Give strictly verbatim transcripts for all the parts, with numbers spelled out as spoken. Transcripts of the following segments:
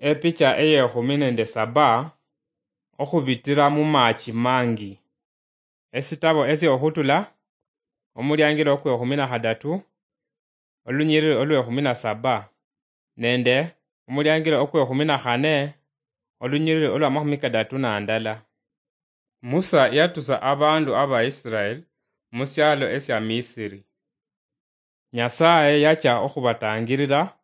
Epicha eyekhumi nende saba, okhubitira mumachi mangi. Esitabo esiokhutula, omuliangilo okwekhumi na khadatu, olunyiriri olwekhumi na saba, nende omuliangilo okwekhumi na khane, olunyiriri olwamakhumi kadatu na ndala. Musa yatusa abandu aba Israel musialo esia Misiri. Nyasaye yacha okhubatangirira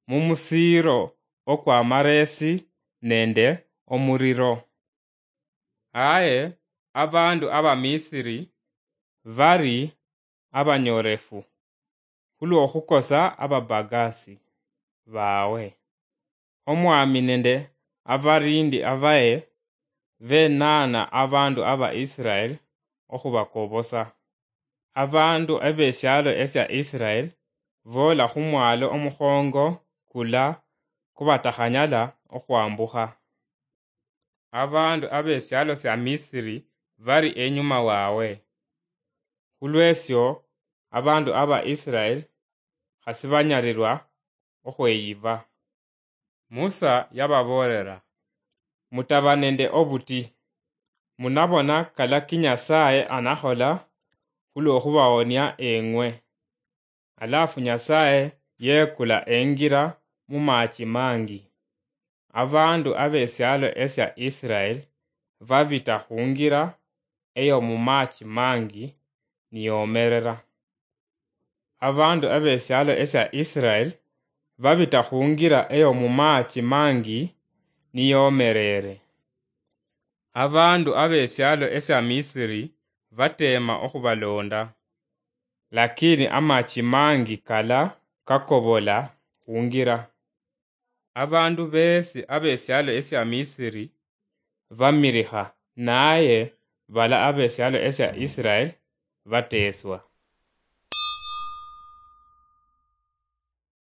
mumusiiro okwa maresi nende omuriro. Aye abandu aba Misiri bari abanyorefu khulwokhukosa ababagasi bawe. Omwami nende abarindi abaye benana abandu aba Israel okhubakobosa. Abandu ebesialo esia Israel bola khumwalo omukhongo kula kubatakhanyala okhwambukha. Abandu abesialo sia Misiri bari enyuma wawe. Khulwesio abandu aba Israel khasibanyalirwa okhweyiba. Musa yababoolera, "Mutaba nende obuti. Munabona kalaki Nyasaye anakhola khulwokhubawonia eng'we." Alafu Nyasaye yekula engira mumachi mangi. Abandu abesialo esia Israel babita khungira eyo mumachi mangi niyomerera. Abandu abesialo esia Israel babita khungira eyo mumachi mangi niyomerere. Abandu abesialo esia Misiri batema okhubalonda, lakini amachi mangi kala kakobola khungira. Abandu besi abesialo esia Misiri bamilikha, naye bala abesialo esia Israel bateswa.